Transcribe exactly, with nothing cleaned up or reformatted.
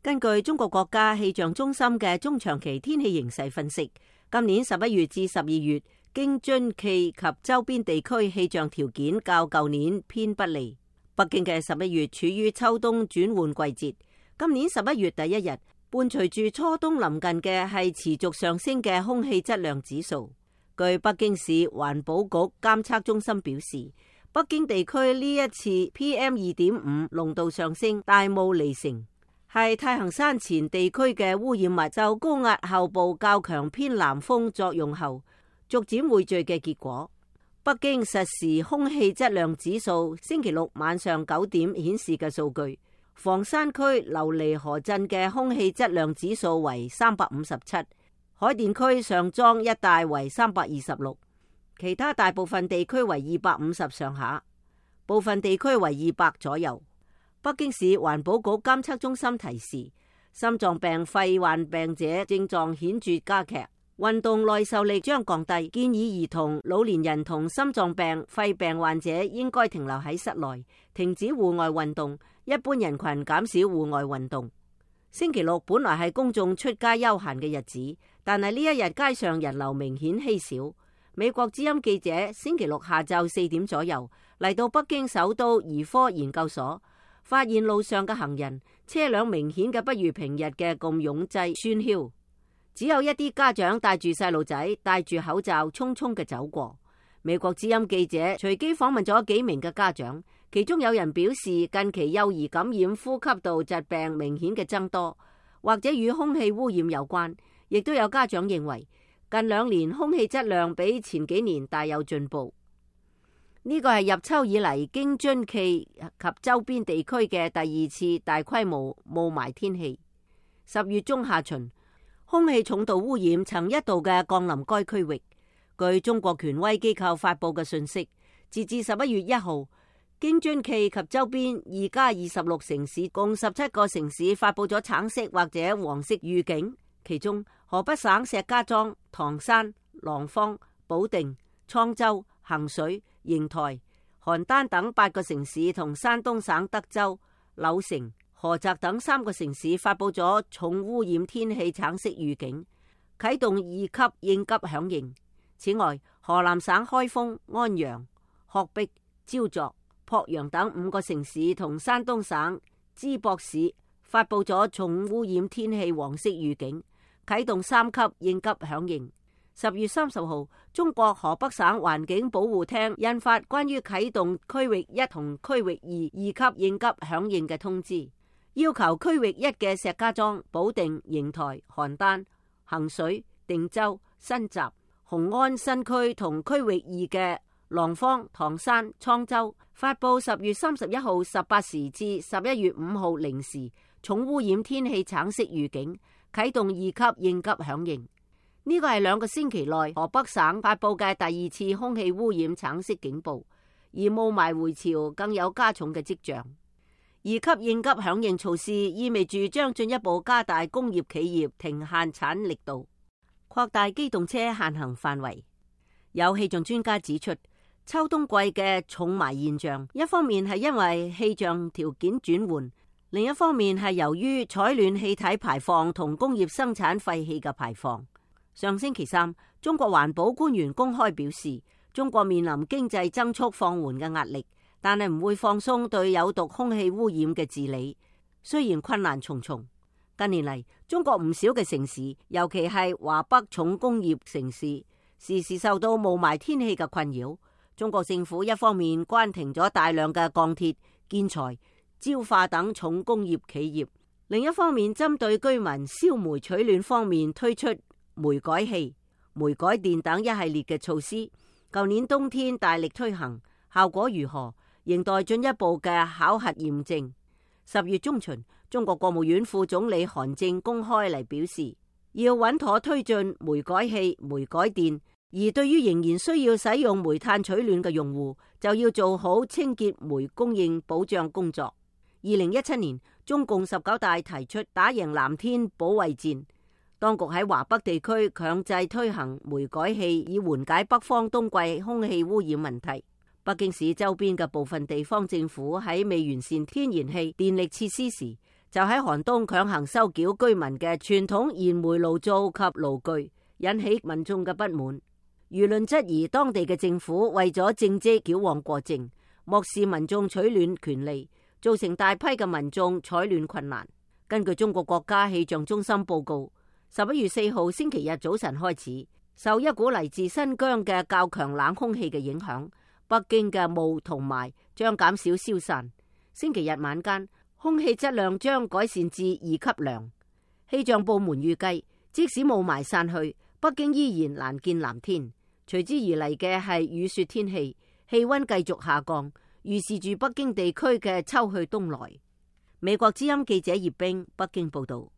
根據中國國家氣象中心嘅中長期天氣形勢分析，今年十一月至十二月，京津冀及周邊地區氣象條件較舊年偏不利。北京嘅十一月處於秋冬轉換季節，今年十一月第一日伴隨住初冬臨近嘅係持續上升嘅空氣質量指數。據北京市環保局監測中心表示，北京地區呢一次 P M 二點五 濃度上升大霧離城，係太行山前地區嘅污染物受高壓後部較強偏南風作用後逐漸匯聚嘅結果。北京實時空氣質量指數星期六晚上九點顯示嘅數據，房山區琉璃河鎮嘅空氣質量指數為三百五十七，海淀區上莊一帶為三百二十六，其他大部分地區為二百五十上下，部分地區為二百左右。北京市環保局監測中心提示，心臟病肺患病者症狀顯著加劇，運動耐受力將降低，建議兒童、老年人同心臟病、肺病患者應該停留喺室內，停止戶外運動，一般人群減少戶外運動。星期六本來係公眾出街休閒嘅日子，但係呢一日街上人流明顯稀少。美國之音記者星期六下晝四點左右嚟到北京首都兒科研究所，發現路上嘅行人、車輛明顯嘅不如平日嘅咁擁擠喧囂，只有一啲家長帶住細路仔戴住口罩匆匆嘅走過。美國之音記者隨機訪問咗幾名嘅家長，其中有人表示近期幼兒感染呼吸道疾病明顯嘅增多，或者與空氣污染有關，亦都有家長認為近兩年空氣質量比前幾年大有進步。呢個係入秋以嚟京津冀及周邊地區嘅第二次大規模霧霾天氣。十月中下旬，空氣重度污染曾一度嘅降臨該區域。據中國權威機構發佈嘅信息，截至十一月一號，京津冀及周邊二加二十六城市共十七個城市發佈咗橙色或者黃色預警，其中河北省石家莊、唐山、廊坊、保定、滄州、衡水、邢台、邯鄲等八個城市同山東省德州、柳城、菏澤等三個城市發佈咗重污染天氣橙色預警，啟動二級應急響應。此外，河南省開封、安陽、鶴壁、焦作、濮陽等五個城市同山東省淄博市發佈咗重污染天氣黃色預警，啟動三級應急響應。十月三十號，中國河北省環境保護廳印發關於啟動區域一同區域二二級應急響應嘅通知，要求區域一嘅石家莊、保定、邢台、邯鄲、衡水、定州、新集、雄安新區同區域二嘅廊坊、唐山、滄州發佈十月三十一號十八時至十一月五號零時重污染天氣橙色預警，啟動二級應急響應。呢個係兩個星期內河北省發佈嘅第二次空氣污染橙色警報，而霧霾回潮更有加重嘅跡象。二級應急響應措施意味住將進一步加大工業企業停限產力度，擴大機動車限行範圍。有氣象專家指出，秋冬季嘅重霾現象，一方面係因為氣象條件轉換，另一方面係由於採暖氣體排放同工業生產廢氣嘅排放。上星期三，中國環保官員公開表示，中國面臨經濟增速放緩嘅壓力，但係唔會放鬆對有毒空氣污染嘅治理。雖然困難重重，近年嚟中國唔少嘅城市，尤其係華北重工業城市，時時受到霧霾天氣嘅困擾。中國政府一方面關停咗大量嘅鋼鐵、建材、焦化等重工業企業，另一方面針對居民燒煤取暖方面推出煤改氣、煤改電等一系列嘅措施，舊年冬天大力推行，效果如何，仍待進一步嘅考核驗證。十月中旬，中國國務院副總理韓正公開嚟表示，要穩妥推進煤改氣、煤改電，而對於仍然需要使用煤炭取暖嘅用戶，就要做好清潔煤供應保障工作。二零一七年，中共十九大提出打贏藍天保衛戰。當局喺華北地區強制推行煤改氣，以緩解北方冬季空氣污染問題。北京市周邊嘅部分地方政府喺未完善天然氣電力設施時，就喺寒冬強行收繳居民嘅傳統燃煤爐灶及爐具，引起民眾嘅不滿。輿論質疑當地嘅政府為咗政績矯枉過正，漠視民眾取暖權利，造成大批嘅民眾採暖困難。根據中國國家氣象中心報告，十一月四號星期日早晨開始，受一股嚟自新疆嘅較強冷空氣嘅影響，北京嘅霧同霾將減少消散。星期日晚間，空氣質量將改善至二級良。氣象部門預計，即使霧霾散去，北京依然難見藍天，隨之而嚟嘅係雨雪天氣，氣溫繼續下降，預示住北京地區嘅秋去冬來。美國之音記者葉冰北京報道。